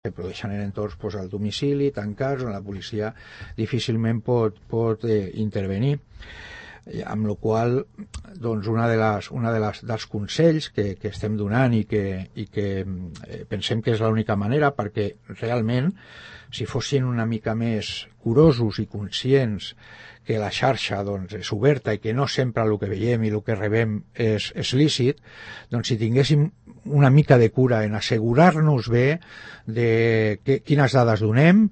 que produeixen en entorns al domicili, tancats, on la policia difícilment pot intervenir. Amb la qual doncs dels consells que estem donant i que pensem que és l'única manera, perquè realment si fossin una mica més curosos i conscients que la xarxa és oberta i que no sempre el que veiem i el que rebem és lícit, doncs si tinguéssim una mica de cura en assegurar-nos bé de quines dades donem,